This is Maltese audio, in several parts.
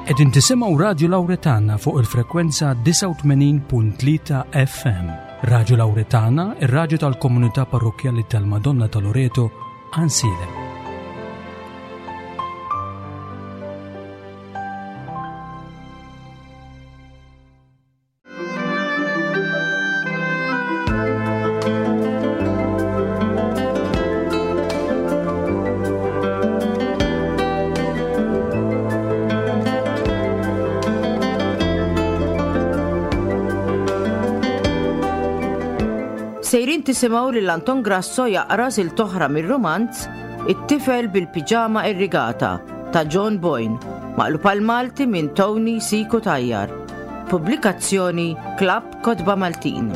Qegħdin tisimgħu Radju Lawretana fuq il-frekwenza 89.3 FM. Radju Lawretana, ir-radju tal-komunità parrokkjali tal-Madonna ta' Loreto, Ansilem. Sejrin tisimgħu lil Anton Grasso jaqra silta oħra mir-rumanz It-tifel bil-piġama irrigata ta' John Boyne, maqlub għal Malti minn Tony Siku Tajjar. Pubblikazzjoni Klabb Kotba Maltin.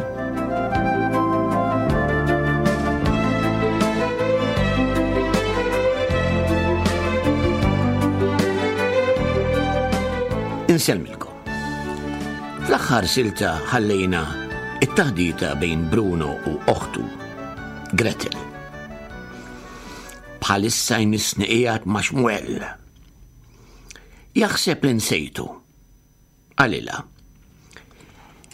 Insellmilkom. Fl-aħħar silta ħallejna it-taħdita bejn Bruno u oħtu, Gretel. Bħalissa jmissni qiegħed ma' Xmuel. Jaħseb li nsejtu. Qalilha.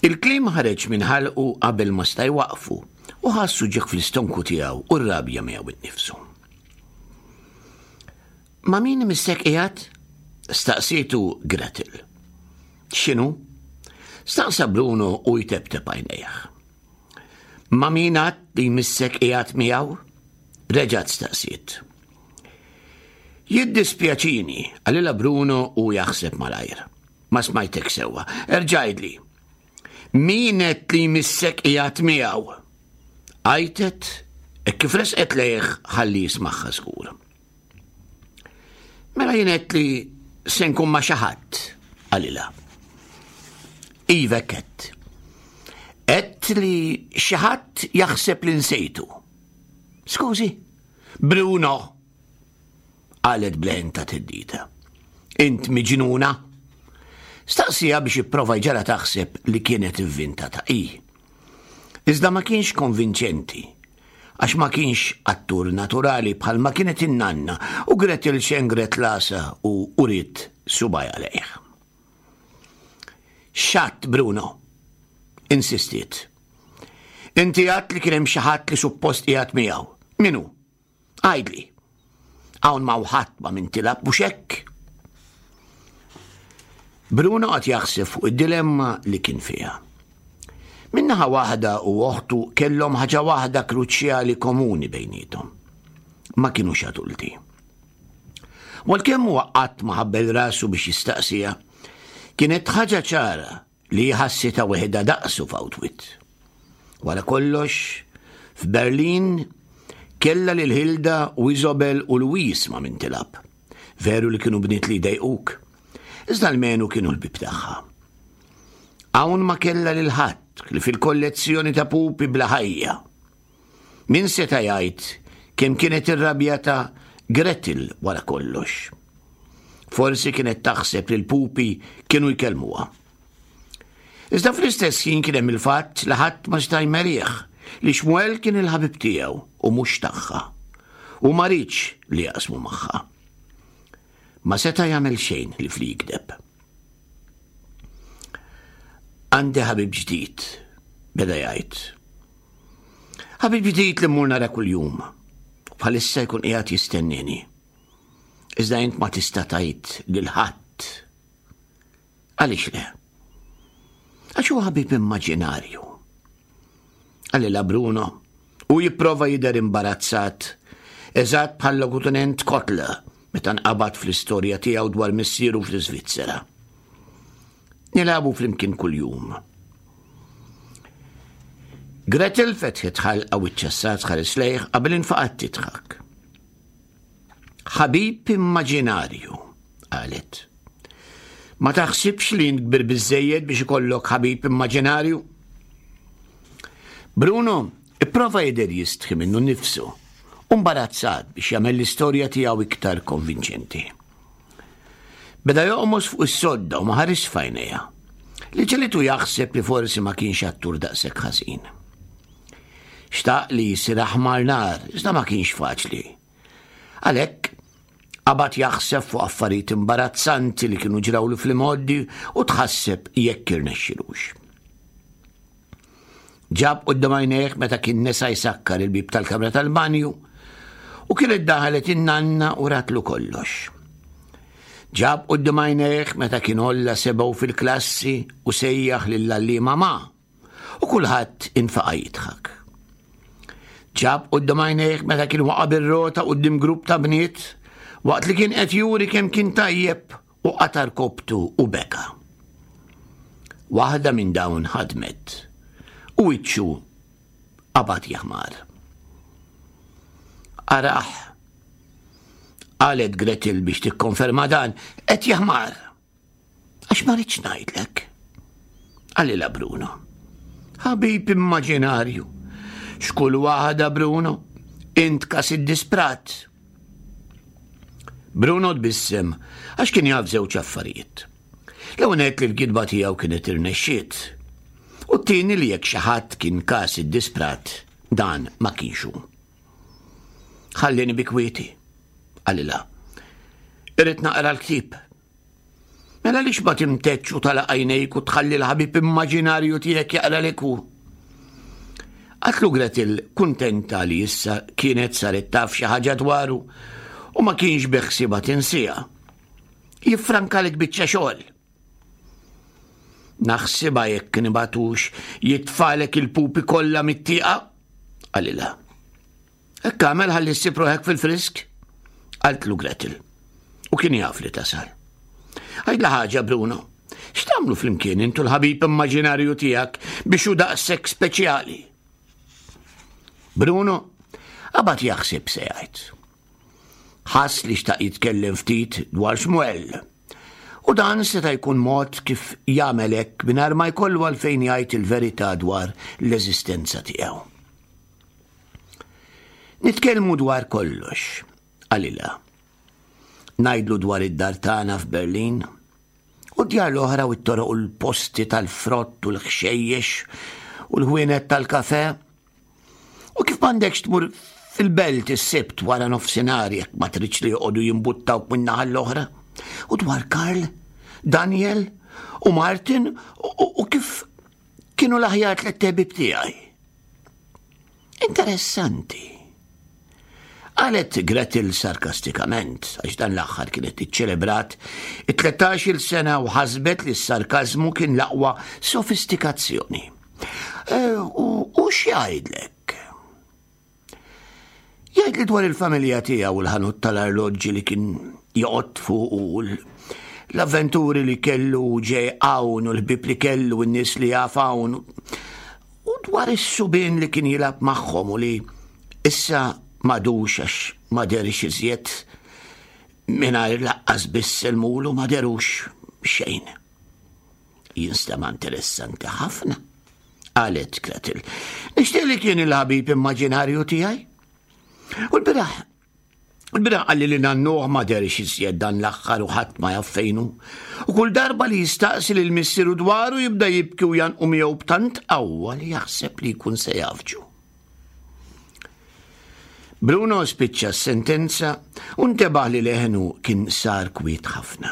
Il-kliem ħareġ minn ħalqu qabel ma sta' jwaqqfu u ħass uġigħ fl-istonku tiegħu u r-rabja miegħu innifsu. Ma' min imissek qiegħed? Staqsietu Gretel. X'inhu? Staqsa Bruno u jteptep għajnejh. Ma' min għad li jmissek qiegħed miegħu? Reġgħet staqsiet. Jiddispjaċini, qalilha Bruno u jaħseb malajr. Ma smajtek sewwa. Erġa' għidli. Min qed li jmissek qiegħed miegħu? Għajtet hekk kif resqet lejh ħalli jismagħha żgur. Mela jien għedt li se nkun ma' xi ħadd, qalilha. Iva hekk Għedt li xi ħadd jaħseb li nsejtu. Skużi, Bruno, qalet b'leħen ta' theddida. Int miġnuna? Staqsija biex ipprova jġara taħseb li kienet ivvintata hi. Iżda ma kienx konvinċenti, għax ma kienx attur naturali bħalma kienet in-nanna u Gretel xengret lasa u uriet subgħajha lejh. X'għadt, Bruno? Insistiet. Inti għadt li kien hemm xi ħadd li suppost qiegħed miegħu. Min hu? Għidli. Hawn m'hawn ħadd ma' min tilgħab mhux hekk? Bruno qagħad jaħseb fuq id-dilemma li kien fiha. Min-naħa waħda u oħtu kellhom ħaġa waħda kruċjali komuni bejniethom. Ma kinux adulti. U għalkemm huwa qatt ma ħabbel rasu biex jistaqsiha, kienet ħaġa ċara li hi ħassitha weħidha daqsu f'Autwit. Wara kollox, f'Berlin kellha lil Hilda u Isobel u Louise ma' min tilgħab. Veru li kienu bniet li jdejquk, iżda almenu kienu l-ħbieb tagħha. Hawn ma kellha lil ħadd li fil-kollezzjoni ta' pupi bla ħajja. Min seta' jgħid kemm kienet irrabjata Gretel wara kollox? Forsi kienet taħseb li l-pupi kienu jkellmuha. Iżda fl-istess ħin kien hemm il-fatt li ħadd ma seta' jmerih li Xmuel kien il-ħabib tiegħu u mhux tagħha. U ma riedx li jaqsmu magħha. Ma seta' jagħmel xejn li fli jigdeb. Għandi ħabib ġdid, beda jgħid. Ħabib ġdid li mmur nara kuljum. Bħalissa jkun qiegħed jistennini. Iżda int ma tista' tgħid lil ħadd. Għaliex le? Għax huwa ħabib immaġinarju. Qalilha Bruno u jipprova jidher imbarazzat, eżatt bħal logutenent Kotler meta nqabad fl-istorja tiegħu dwar missieru fl-Iżvizzera. Nilagħbu flimkien kuljum. Gretel fetħet ħalqa u ċċassat tħares lejh qabel infaqat tidħak. Ħabib immaġinarju, qalet. Ma taħsibx li int kbir biżejjed biex ikollok ħabib immaġinarju? Bruno ipprova jidher jistħi minnu nnifsu u mbarazzat biex jagħmel l-istorja tiegħu iktar konvinċenti. Beda joqmos fuq is-sodda u ma ħarisx f'għajnejha, li ġelitu jaħseb li forsi ma kienx attur daqshekk ħażin. Xtaq li jsir aħmar nar, iżda ma kienx faċli. Għalhekk, Qabad jaħseb fuq affarijiet imbarazzanti li kienu ġrawlu fl-imgħoddi u tħasseb jekk irnexxilux. Ġab quddiem għajnejh meta kien nesa jsakkar il-bieb tal-kamra tal-banju u kienet daħlet in-nanna u ratlu kollox. Ġab quddiem għajnejh meta kien olla sebgħu fil-klassi u sejjaħ lill-għalliema ma' u kulħadd infaqa' jidħak. Ġab quddiem għajnejh meta kien waqa' bir-rota quddiem grupp ta' bniet waqt li kien qed juri kemm kien tajjeb u qata' rkobtu u beka. Waħda minn dawn ħadmet u wiċċu qabad jaħmar. Araħ, qalet Gretel biex tikkonferma dan, qed jaħmar. Għax ma rridx ngħidlek. Qalilha Bruno. Ħabib immaġinarju. X'kull waħda Bruno, int kas iddisprat. Bruno tbissem għax kien jaf żewġ affarijiet. L-ewwel li l-gidba tiegħu kienet irnexxiet. U t-tieni li jekk xi ħadd kien kas iddisprat, dan ma kienx hu. Ħallini bi kwieti, qalilha. Irrid naqra l-ktieb. Mela għaliex ma timteċ u tagħlaq għajnejk u tħalli l-ħabib immaġinarju tiegħek jaqralek hu? Qatlu Gretel kuntenta li issa kienet saret taf xi ħaġa dwaru u ma kienx beħsiebha tinsiha. Jiffrankalek biċċa xogħol. Naħsibha jekk nibatux jitfalek il-pupi kollha mit-tieqa, qalilha. Hekk għamel ħalli ssib ruħek fil-frisk? Qaltlu Gretel. U kien jaf li tasal. Għidla ħaġa, Bruno. X'tagħmlu flimkien intu l-ħabib immaġinarju tiegħek biex hu daqshekk speċjali? Bruno qabad jaħseb se jgħid. Ħass li xtaq jitkellem ftit dwar Xmuel. U dan seta' jkun mod kif jagħmel hekk mingħajr ma jkollu għalfejn jgħid il-verità dwar l-eżistenza tiegħu. Nitkellmu dwar kollox, qalilha. Ngħidlu dwar id-dar tagħna f'Berlin, u d-djar l-oħra u t-toroq u l-posti tal-frott u l-ħxejjex u l-ħwienet tal-kafe. U kif m'għandekx tmur fil-belt is-sibt wara nofsinhar jekk ma tridx li joqogħdu jimbuttawk minn naħa l-oħra. U dwar Karl, Daniel u Martin u kif kienu l-aħjar tlett ħbieb tiegħi. Interessanti. Qalet Gretel sarkastikament, għax dan l-aħħar kienet iċċelebrat it-13-il sena u ħasbet li s-sarkażmu kien l-aqwa sofistikazzjoni. E, u x'jgħidlek? Jgħidli dwar il-familja tiegħu u l-ħanut tal-arloġġi li kien joqgħod fuq u l-avventuri li kellu ġej hawn u l-ħbieb li kellu u n-nies li jaf hawn. U dwar is-subien li kien jilgħab magħhom u li issa m'għadux għax ma derx iżjed mingħajr laqqas biss il-mulu ma derux xejn. Jinstema' interessanti ħafna, qalet Gretel. Nixtieq li kien il-ħabib immaġinarju tiegħi. U l-biraħ Il-bieraħ qalli li nannuh ma dehrx iżjed dan l-aħħar u ħadd ma jaf fejn hu. U kull darba li jistaqsi lil missieru dwaru jibda jibki u janqu miegħu b'tant qawwa li jaħseb li jkun se jafġu. Bruno spiċċa s-sentenza u ntebaħ li leħnu kien sar kwiet ħafna.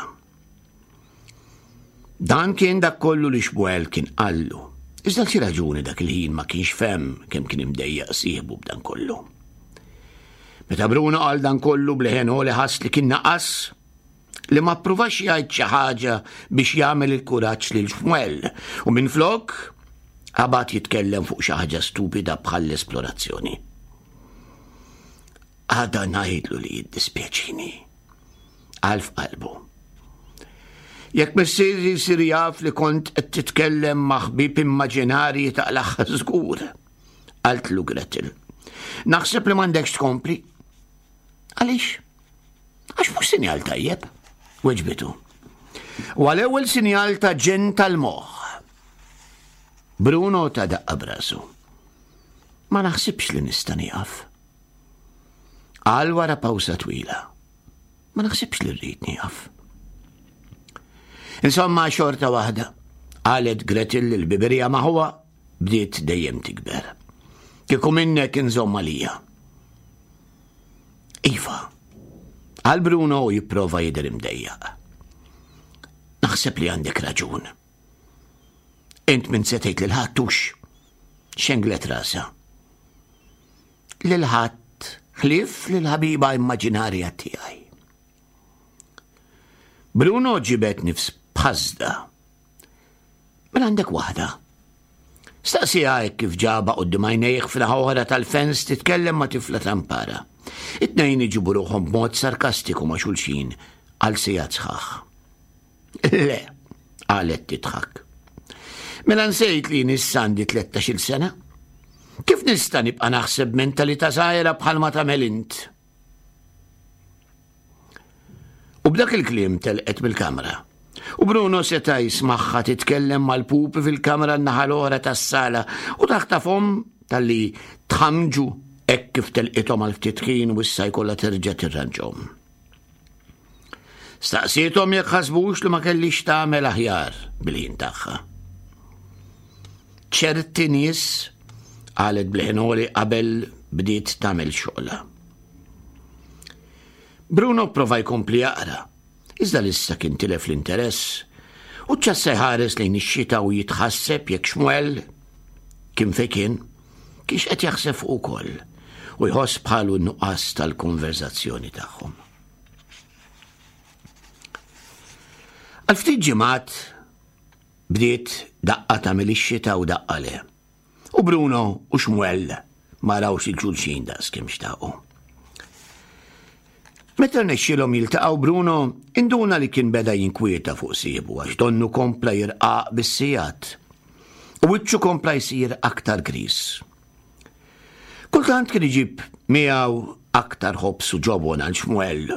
Dan kien dak kollu li Xmuel kien qallu. Iżda xi raġuni dak il-ħin ma kienx fehem kemm kien imdejjaq sieħbu b'dan kollu. Meta Bruno qal dan kollu bleħen li ħass li kien naqas li ma ppruvax jgħid xi ħaġa biex jagħmel il-kuraġġ lil Xmuel u minflok qabad jitkellem fuq xi ħaġa stupida bħall-esplorazzjoni. Għada ngħidlu li jiddispjaċini. Qal f'qalbu. Jekk missieri jsir jaf li kont qed titkellem ma' ħbieb immaġinarji taqlaħħa żgur, qaltlu Gretel. Naħseb li m'għandekx tkompli. Għaliex? Għax mhux sinjal tajjeb, weġbitu. U għal-ewwel sinjal ta' ġen tal-moħħ. Bruno ta' daqqa brasu. Ma naħsibx li nista' nieqaf. Qal wara pawsa twila. Ma naħsibx li rrid nieqaf. Insomma, xorta waħda, qalet Gretel li l-biberija maħuwa bdiet dejjem tikber. Kieku minnek inżomm għalija. Iva, Qal Bruno u jipprova jidher imdejjaq. Naħseb li għandek raġun. Int minn se tgħid lil ħadd hux. Xenglet rasha. Lil ħadd ħlief lil ħabiba immaġinarja tiegħi. Bruno ġibed nifs b'ħasda. Mela għandek waħda. Staqsieha hekk kif ġabha quddiem għajnejh f'naħa oħra tal-fens titkellem ma' tifla tampara. It-tnejn iġibu ruħhom b'mod sarkastiku ma' xulxin għal sigħat sħaħ. Le, qalet tidħak. Mela nsejt li issa għandi 13-il sena? Kif nista' nibqa' naħseb mentalità żgħira bħalma tagħmel int? U b'dak il-kliem telqet mill-kamra. U Bruno seta' jismagħha titkellem mal-pupi fil-kamra n-naħa l-oħra tas-sala u taħtafhom talli tħamġu hekk kif telqithom għal ftit ħin u issa jkollha terġa' tirranġhom. Staqsiethom jekk ħasbux li ma kellix tagħmel aħjar bil-ħin tagħha. Ċerti nies qalet bl-ħinoli qabel bdiet tagħmel xogħla. Bruno prova jkompli jaqra, iżda lissa kien tilef l-interess u ċassa jħares lejn ix-xita u jitħasseb jekk Xmuel kien fejn kien, kienx qed jaħseb fuq ukoll u jħoss bħalu n-nuqqas tal-konverzazzjoni tagħhom. Għal ftit ġimgħat bdiet daqqa tagħmel ix-xita u daqqa le. U Bruno u Xmuel ma rawx il-xulxin daqs kemm xtaqu. Meta rnexxielhom jiltaqgħu Bruno induna li kien beda jinkwieta fuq sieħbu għax donnu kompla jirqaq bis-sigħat. U wiċċu kompla jsir aktar griż. Kultant kien iġib miegħu aktar ħobż u ġobon għal Xmuel.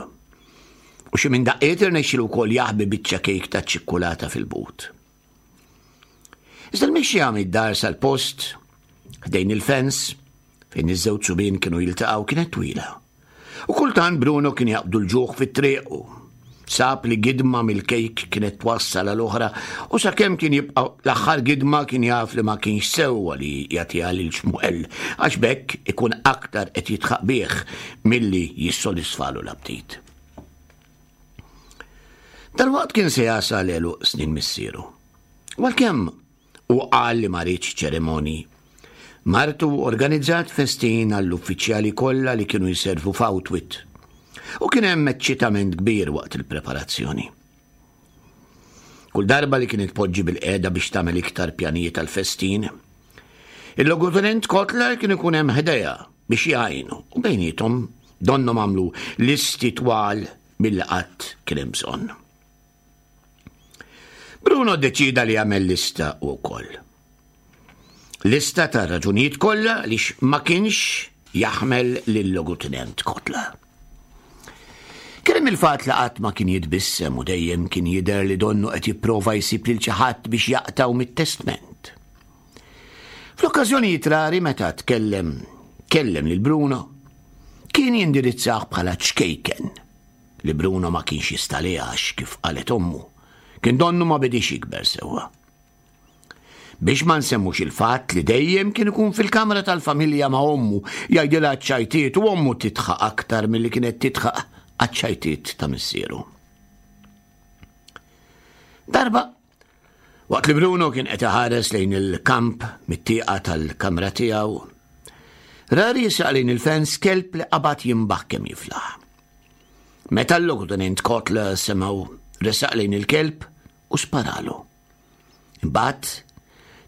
U xi minn daqqiet irnexxielu wkoll jaħbi biċċa kejk ta' ċikkulata fil-but. Iżda l-mixja mid-dar sal-post, ħdejn il-fens, fejn iż-żewġ subien kienu jiltaqgħu kienet twila. U kultant Bruno kien jaqbdu l-ġuħ fit-triq u sab li gidma mill-kejk kienet twassal għal oħra u sakemm kien jibqa' l-aħħar gidma kien jaf li ma kienx sewwa li jagħtiha lil Xmuel għax b'hekk ikun aktar qed jidħaq bih milli jissodisfalu l-aptit. Dalwaqt kien se jasal għeluq snin missieru. U għalkemm Hu qal li ma riedx ċerimonji. Martu organizzat festin għall-uffiċjali kollha li kienu jservu f'Outwit. U kien hemm eċċitament kbir waqt il-preparazzjoni. Kull darba li kienet tpoġġi bil-qiegħda biex tagħmel iktar pjanijiet għall-festin, il-logutenent Kotler kien ikun hemm ħdejha biex jgħinu u bejniethom donnhom għamlu listi twal milli qatt kien hemm bżonn. Bruno ddeċieda li jagħmel lista wkoll. Lista ta' raġunijiet kollha għaliex ma kienx jaħmel lil Logutenent Kotla. Kien hemm il-fatt li qatt ma kien jitbissem u dejjem kien jidher li donnu qed jipprova jsib lil xi ħadd biex jaqtgħu mit-testment. Fl-okkażjonijiet rari meta tkellem kellem lil Bruno, kien jindirizzah bħala ċkejken li Bruno ma kienx jista' għaliha għax, kif qalet ommu, kien donnu ma bediex jikber sewwa. Biex ma nsemmux il-fatt li dejjem kien ikun fil-kamra tal-familja ma' ommu jgħidilha ċ-ċajtiet u ommu tidħaq aktar milli kienet tidħaq għaċ-ċajtiet ta' missieru. Darba, waqt li Bruno kien qed iħares lejn il-kamp mit-tieqa tal-kamra tiegħu, ra riesaq lejn il-fens kelb li qabad jinbaħ kemm jiflaħ. Meta l-Logutenent Kotler semgħu resaq lejn il-kelb u sparalu. Imbagħad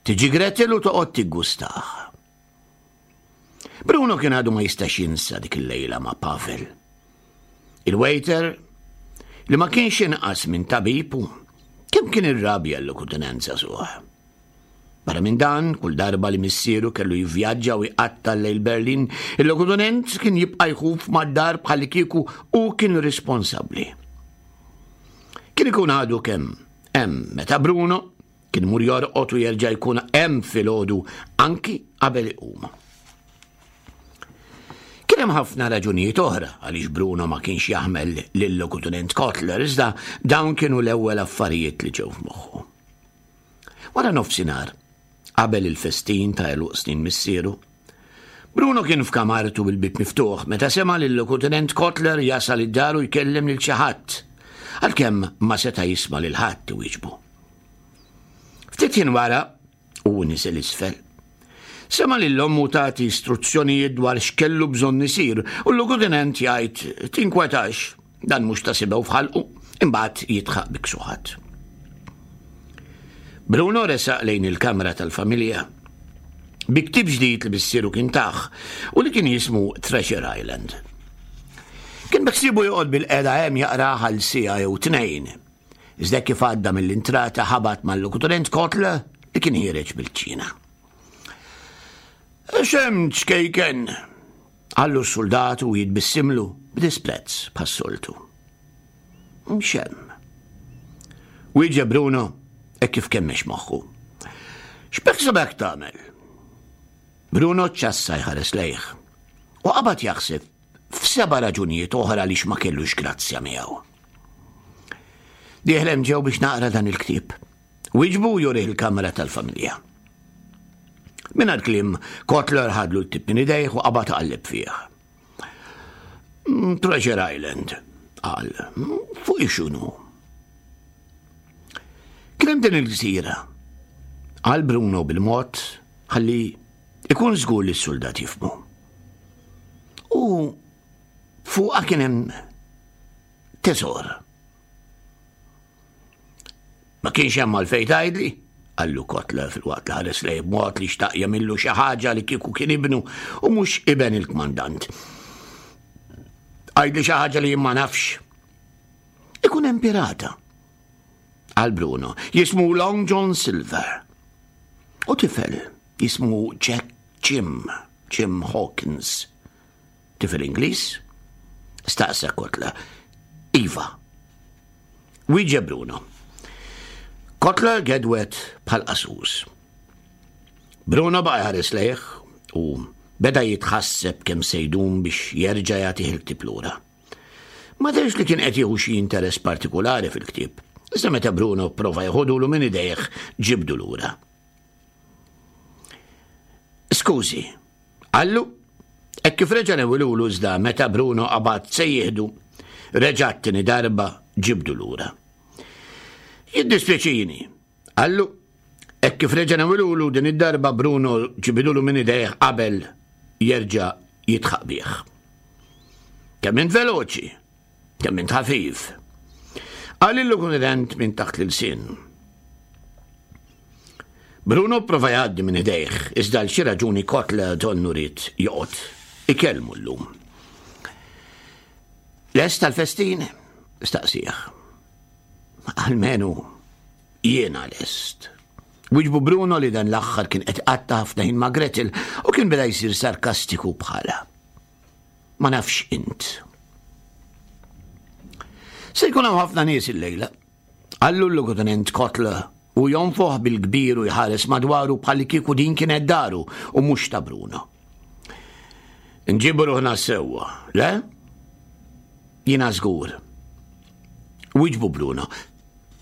tiġi Gretel u toqgħod tiggustah. Bruno kien għadu ma jistax jinsa dik il-lejla ma' Pavel. Il-waiter li ma kienx inqas minn tabib u kemm kien irrabja l-lokutenenza suħ. Barra minn dan, kull darba li missieru kellu jivvjaġġa u jqatta' l-lejl Berlin, il-logutenent kien jibqa' jħuf mad-dar bħallikieku hu kien responsabbli. Kien ikun għadu kemm hemm meta Bruno kien imur jorqod u jerġa' jkun hemm filgħodu anki qabel iqum. Kien hemm ħafna raġunijiet oħra għaliex Bruno ma kienx jaħmel lil-logutenent Kotler, iżda dawn kienu l-ewwel affarijiet li ġew f'moħħu. Wara nofsinhar, qabel il-festin ta' għeluq snin missieru, Bruno kien f'kamartu bil-bib miftuħ meta sema' lil-Lokutenent Kotler jasal id-dar u jkellem lil xi ħadd, għalkemm ma seta' jisma' lil ħadd iwieġbu. Ftit ħin wara, u niżel isfel. Sema' lil ommu tagħti istruzzjonijiet dwar x'kellu bżonn isir u l-lokutenent jgħid tinkwetax, dan mhux ta' sibew f'ħalqu, imbagħad jidħaq bi ksuħat. Bruno resaq lejn il-kamra tal-familja bi ktieb ġdid li missieru kien tah u li kien jismu Treasure Island. Kien beħsiebu joqgħod bil-qeda hemm jaqrah għal siegħa jew tnejn. Iżda kif għadda mill-intrata ħabat mal-lokutorent Kotler li kien ħiereġ bil-ċina. X'hemm ċkejken? Qallu s-suldat u jitbissimlu b'disprezz bħas-soltu. X'hemm? Wieġeb Bruno hekk kif kemmex moħħu. X'beħsibek tagħmel? Bruno ċassa jħares lejh u qabad jaħseb f'seba' raġunijiet oħra għaliex ma kellux grazzja miegħu. Dieħlem ġew biex naqra dan il-ktieb. Wieġbu jurih il-kamra tal-familja. Mingħajr kliem, Kotler ħadlu l-ktieb minn idejh u qabad iqalleb fih. Mm, Treasure Island, qal, mm, fuq ixunu. Kien hemm din il-gżira. Qal Bruno bil-mod ħalli ikun żgur li s-suldat jifmu. U fuqha kien hemm teżor. Ma kienx hemm għalfejn tgħidli, qallu Kotler filwaqt li ħares lejh b'mod li xtaq jagħmillu xi ħaġa li kieku kien ibnu u mhux iben il-kmandant. Għidli xi ħaġa li jien ma nafx. Ikun hemm pirata. Qal Bruno, jismu Long John Silver. U tifel jismu Jack Jim, Jim Hawkins. Tifel Ingliż? Staqsa Kotler. Iva. Wieġeb Bruno. Kotler gedwet bħal qasus. Bruno baqa' jħares lejh u beda jitħasseb kemm se jdum biex jerġa' jagħtih il-ktieb lura. Ma derx li kien qed jieħu xi interess partikulari fil-ktieb, iżda meta Bruno pprova jeħodulu minn idejh ġibdu lura. Skużi, Qallu, hekk kif reġa' newwilulu iżda meta Bruno qabad se jieħdu, reġa' t-tieni darba ġibdu lura. Jiddispjaċini, qallu, hekk kif reġa' newwilulu din id-darba Bruno ġibidulu minn idejh qabel jerġa' jidħaq bih. Kemm int veloċi, kemm int ħafif. Qal il-lukunident minn taħt l-ilsien. Bruno prova jgħaddi minn idejh, iżda għal xi raġuni Kotler donnu ried joqgħod ikellmu llum. Lest tal-festin? Staqsih. Almenu jiena lest. Wiġbu Bruno li dan l-aħħar kien qed qatta ħafna ħin ma' Gretel u kien beda jsir sarkastiku bħala. Ma nafx int. Se jkun hawn ħafna nies illejla. Qallu l-Logotenent Kotler u jonfoħ bil-kbir u jħares madwaru bħalli kieku din kienet daru u mhux ta' Bruno. Nġibu ruħna sewwa, le? Jiena żgur. Wiġbu Bruno,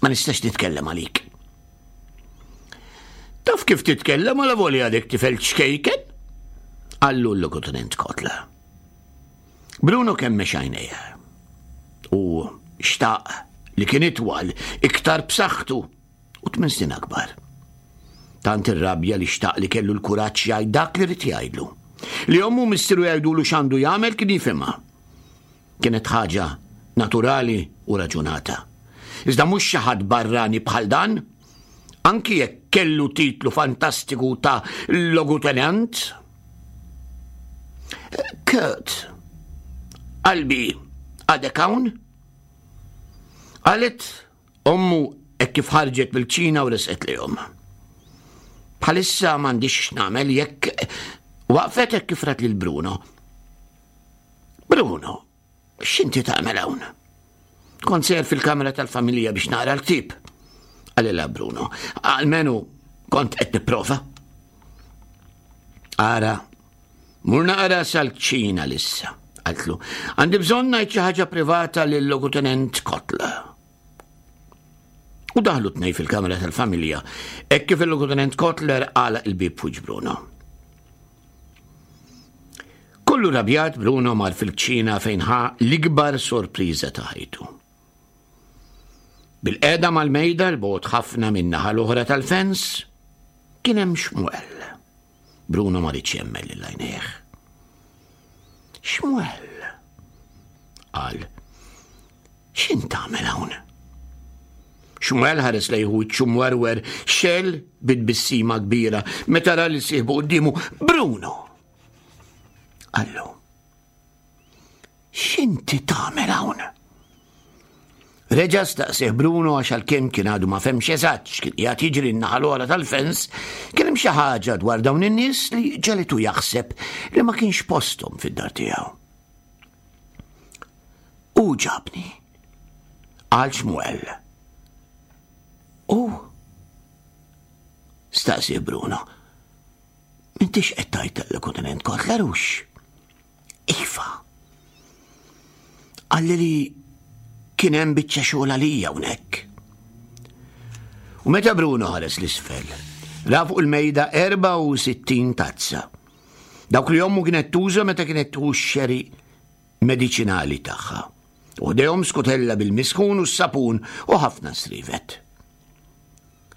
ma nistax nitkellem għalik. Taf kif titkellem għala volja għadek tifel ċkejken? Qallu l-Logotenent Kotler. Bruno kemmex għajnejh u xtaq li kien itwal, iktar b'saħħtu u tmien snin akbar. Tant irrabja li xtaq li kellu l-kuraġġ jgħid dak li rid jgħidlu. Li ommu missieru jgħidulu x'għandu jagħmel kien jifhimha. Kienet ħaġa naturali u raġunata. Iżda mhux xi ħadd barrani bħal dan, anki jekk kellu titlu fantastiku ta' logutenant. Kurt, qalbi għadek hawn? Qalet ommu hekk kif ħarġet mill-kċina u resqet lejhom. Bħalissa m'għandix x'nagħmel jekk waqfet hekk kif rat lil Bruno. Bruno, X'inti tagħmel hawn? Kont sejjer fil-kamra tal-familja biex naqra l-ktieb. Qalilha Bruno. Almenu kont qed nipprova. Ara, mur naqra sal-kċina lissa, qaltlu. Għandi bżonn ngħid xi ħaġa privata lil Logutenent Kotler. U daħlu tnej fil-kamra tal-familja, hekk kif il-Logutenent Kotler għalaq il-bieb fuq Bruno. Kollu rabjat Bruno mar fil-kċina fejn ħa l-ikbar sorpriża ta' ħajtu. Bil-qeda mal-mejda l-bogħod ħafna min-naħa l-oħra tal-fens kien hemm Xmuel. Bruno ma riedx jemmen lil għajnejh. Xmuel, qal, x'int tagħmel hawn? Xmuel ħares lejh wiċċu mwerwer xel bit-tbissima kbira meta ra li sieħbu quddiemu Bruno. Qallu, X'inti tagħmel hawn? Reġa' staqsih Bruno għax għalkemm kien għadu ma femx eżatt x'kien qiegħed jiġri n-naħa l-oħra tal-fens, kien hemm xi ħaġa dwar dawn in-nies li ġelitu jaħseb li ma kienx posthom fid-dar tiegħu. U ġabni, qal Xmuel. U? Staqsih Bruno. M'intix qed tgħid tal-Kontinent Kotler hux? Iva. Qalli li kien hemm biċċa xogħol għalija hawnhekk. U meta Bruno ħares l-isfel, ra fuq il-mejda 64 tazza. Dawk li ommu kienet tuża meta kienet tuħu x-xeri mediċinali tagħha. U ħdejhom skutella bil-misħun u s-sapun u ħafna srivet.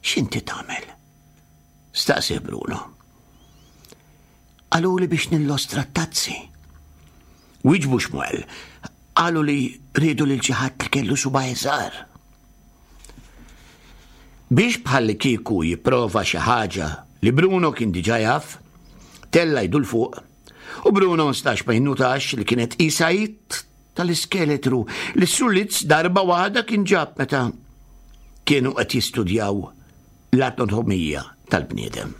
X'inti tagħmel? Staqsi Bruno. Qaluli biex nillostra t-tazzi. Wieġbu Xmuel, qalu li riedu lil xi ħadd li kellu subgħaj żgħar. Biex bħalli kieku jipprova xi ħaġa li Bruno kien diġà jaf, tella jdu 'l fuq u Bruno ma setax ma jinnutax li kienet qisha id tal-iskeletru li s-Sulitz darba waħda kien ġab meta kienu qed jistudjaw l-anatomija tal-bniedem.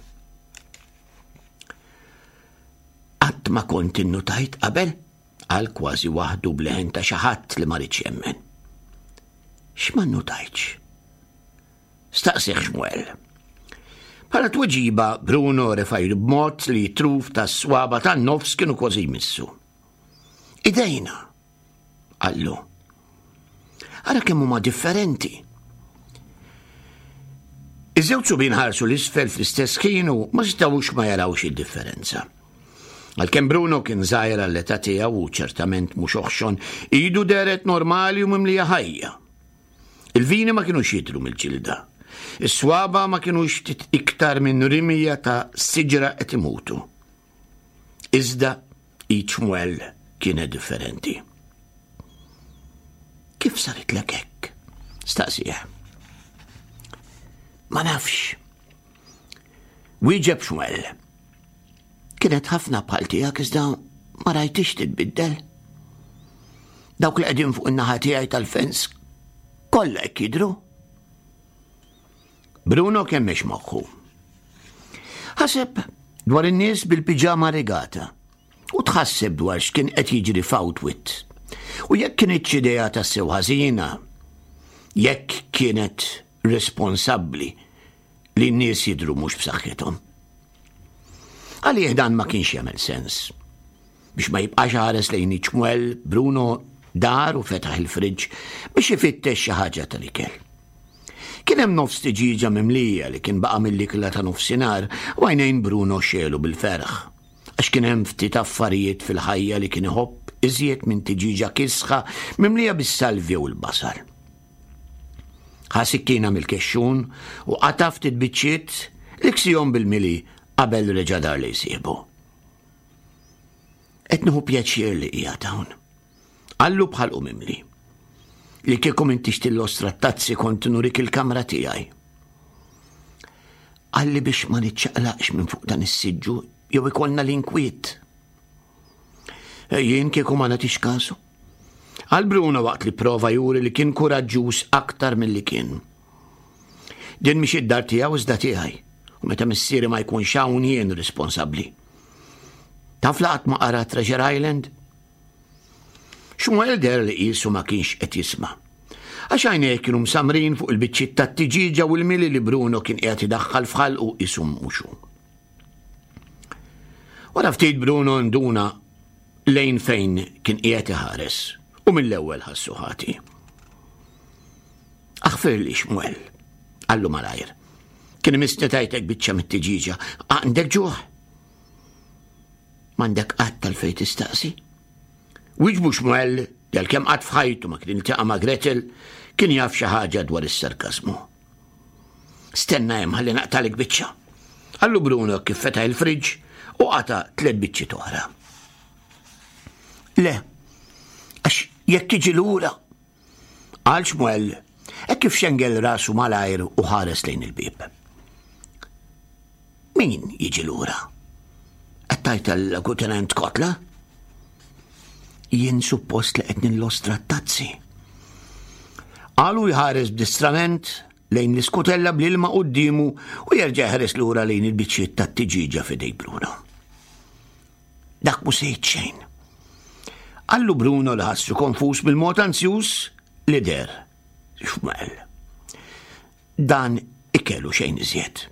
Qatt ma kont innutajt qabel, qal kważi waħdu b'leħen ta' xi ħadd li ma riedx jemmen. X'ma nnutajtx? Staqsih Xmuel. Bħala tweġiba, Bruno refa' idu b'mod li t-truf tas-swaba tan-nofs kienu kważi jmissu. Idejna, qallu. Ara kemm huma differenti. Iż-żewġ subien ħarsu l-isfel fl-istess ħin u ma setgħux ma jarawx id-differenza. Għalkemm Bruno kien żgħir għall-età tiegħu u ċertament mhux oħxon, idu dehret normali u mimlija ħajja. Il-vini ma kinux jidhru mill-ġilda. Is-swaba ma kinux ftit iktar minn rimija ta' siġra qed imutu. Iżda each well kienet differenti. Kif saritlek hekk? Staqsih. Ma nafx. Wieġeb Xmuel. Kienet ħafna bħal tiegħek iżda ma rajtix titbiddel. Dawk li qegħdin fuq in-naħa tiegħi tal-fens kollha hekk jidhru. Bruno kemmex moħħu. Ħaseb dwar in-nies bil-piġama regata u tħasseb dwar x'kien qed jiġri f'Outwit. U jekk kinitx idea tassew ħażina, jekk kienet responsabbli li n-nies jidhru mhux b'saħħithom. Għalih dan ma kienx jagħmel sens. Biex ma jibqax ħares lejn iċ-ċmwell, Bruno dar u fetaħ il-friġġ biex ifittex xi ħaġa tal-ikel. Kien hemm nofs tiġieġa mimlija li kien baqa' mill-ikla ta' nofsinhar u għajnejn Bruno xegħlu bil-ferħ. Għax kien hemm ftit affarijiet fil-ħajja li kien iħobb iżjed minn tiġieġa kisħa mimlija bis-salvja u l-basal. Ħa sikkina mill-kexxun u qata' ftit biċċiet li ksihom bil-mili qabel reġa' dar lejn sieħbu. Qed nieħu pjaċir li qiegħed hawn. Qallu b'ħalqu mimli. Li kieku m'intix tillostra t-tazzi kont nurik il-kamra tiegħi. Qalli biex ma niċċaqlaqx minn fuq dan is-siġġu jew ikollna l-inkwiet. Jien kieku ma nagħtix kasu. Qal Bruno waqt li prova juri li kien kuraġġuż aktar milli kien. Din mhix id-dar tiegħu iżda tiegħi, u meta missieri ma jkunx hawn jien responsabbli. Taf la qatt ma qara Treasure Island? Xmuel deher li qisu ma kienx qed jisma'. Għax għajnejh kienu msammrin fuq il-biċċiet tat-tiġieġa u l-mili li Bruno kien qiegħed idaħħal f'ħalqu qisu mhux hu. Wara ftit Bruno nduna lejn fejn kien qiegħed iħares u mill-ewwel ħassu ħati. Aħfirli Xmuel, qallu malajr. Kien imissni tajtek biċċa mit-tiġieġa. Għandek ġuħ? M'għandek qatt għalfejn tistaqsi. Wiġbu Xmuel li għalkemm qatt f'ħajtu ma kien iltaqa' ma' Gretel, kien jaf xi ħaġa dwar is-sarkażmu. Stenna hemm ħalli naqtalek biċċa. Qallu Bruno kif fetaħ il-friġġ u qata' tliet biċċiet oħra. Le, għax jekk tiġi lura, qal Xmuel, hekk kif xengel rasu malajr u ħares lejn il-bieb. Min jiġi lura? Qed tgħid għall-Kutenent Kotla? Jien suppost li qed nillostra t-tazzi. Qalu jħares b'distrament lejn l-iskutella bl-ilma quddiemu u jerġa' jħares lura lejn il-biċċiet tat-tiġieġa f'idej Bruno. Dak mhu se jgħid xejn. Qallu Bruno li ħassu konfuż bil-mod anzjuż li der. Xmel. Dan ikel u xejn iżjed.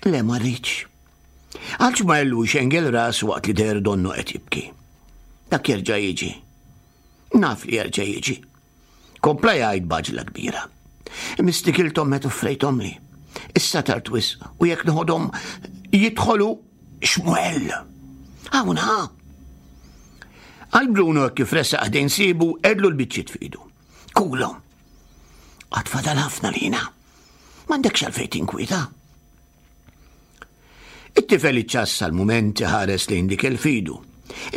Le ma rridx. Għal Xmel u xengel ras waqt li der donnu qed jibki. Dak jerġa' jiġi. Naf li jerġa' jiġi. Kompla jgħid b'għaġla kbira. Mistikilthom meta offrejthomli. Issa tard wisq u jekk noħodhom jidħolu Xmuel. Hawn ha. Għal Bruno kif resaq ħdejn sibu edlu l-biċċiet fidu. Kulhom. Għad fadal ħafna lina. M'għandekx għalfejn tinkwieta. It-tifel iċċassa l-mument iħares lejn dik il-fidu.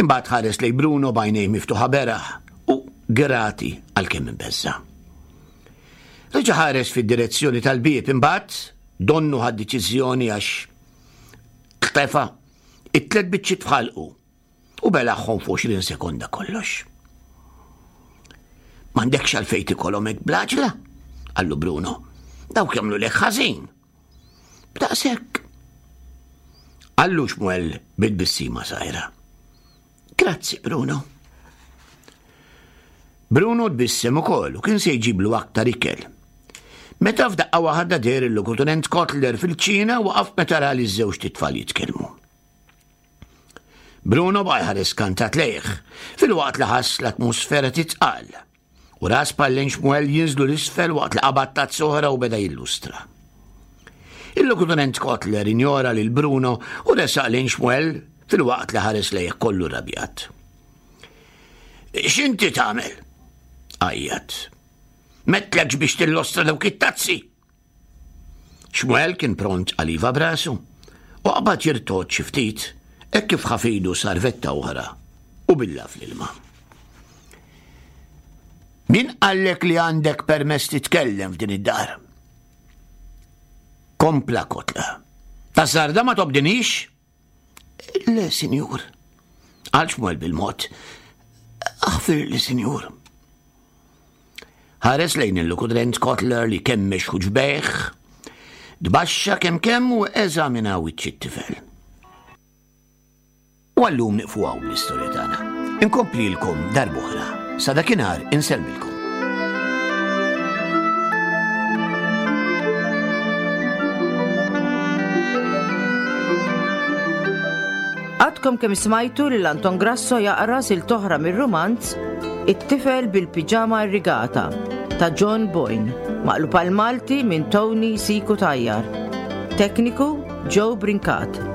Imbagħad ħares lejn Bruno b'għajnejh miftuħa beraħ u grati għalkemm imbeżża'. Reġa' ħares fid-direzzjoni tal-bieb imbagħad donnu ħad deċiżjoni għax tefa' it-tlet biċċiet f'ħalqu u belagħhom f'20 sekonda kollox. M'għandekx għalfejn tikolhom hekk bl-għaġla, qallu Bruno. Dawk jagħmlu lek ħażin. B'daqshekk. Qallu Xmuel bit-tbissima żgħira. Grazzi, Bruno. Bruno tbissem ukoll u kien se jġiblu aktar ikel. Meta f'daqqa waħda deher il-Lokutenent Kotler fil-kċina waqaf meta ra li ż-żewġt itfal jitkellmu. Bruno baqa' jħares skantat lejh, filwaqt li ħass l-atmosfera titqal. U ra spallejn Xmuel jinżlu l-isfel waqt li qabad tazza oħra u beda jillustra. Il-Lokutenent Kotler injora lil Bruno u resaq lejn Xmuel filwaqt li ħares lejh kollu rrabjat. X'inti tagħmel? Għajjat. M'għedtlekx biex tillostra dawk it-tazzi! Xmuel kien pront għal iva b'rasu u qabad jirtogħod xi ftit hekk kif ħa f'idu sarvetta oħra u billa fl-ilma. Min qallek li għandek permess titkellem f'din id-dar? Kompla Kotla. Tażżarda ma tobdinix? Le, sinjur. Għal Xmuel bil-mod. Aħfirli, sinjur. Ħares lejn il-lukudrent Kotler li kemmex ħuġbejh, tbaxxa kemm kemm u eżamina wiċċ it-tifel. U għallum niqfu hawn bl-istorja tagħna. Inkomplilkom darb'oħra. Sa dakinhar insellmilkom. Għadkom kemm smajtu lil Anton Grasso jaqra silt oħra mir-rumanz It-tifel bil-piġama irrigata ta' John Boyne, maqlub għal Malti minn Tony Siku Tajjar. Tekniku Joe Brincat.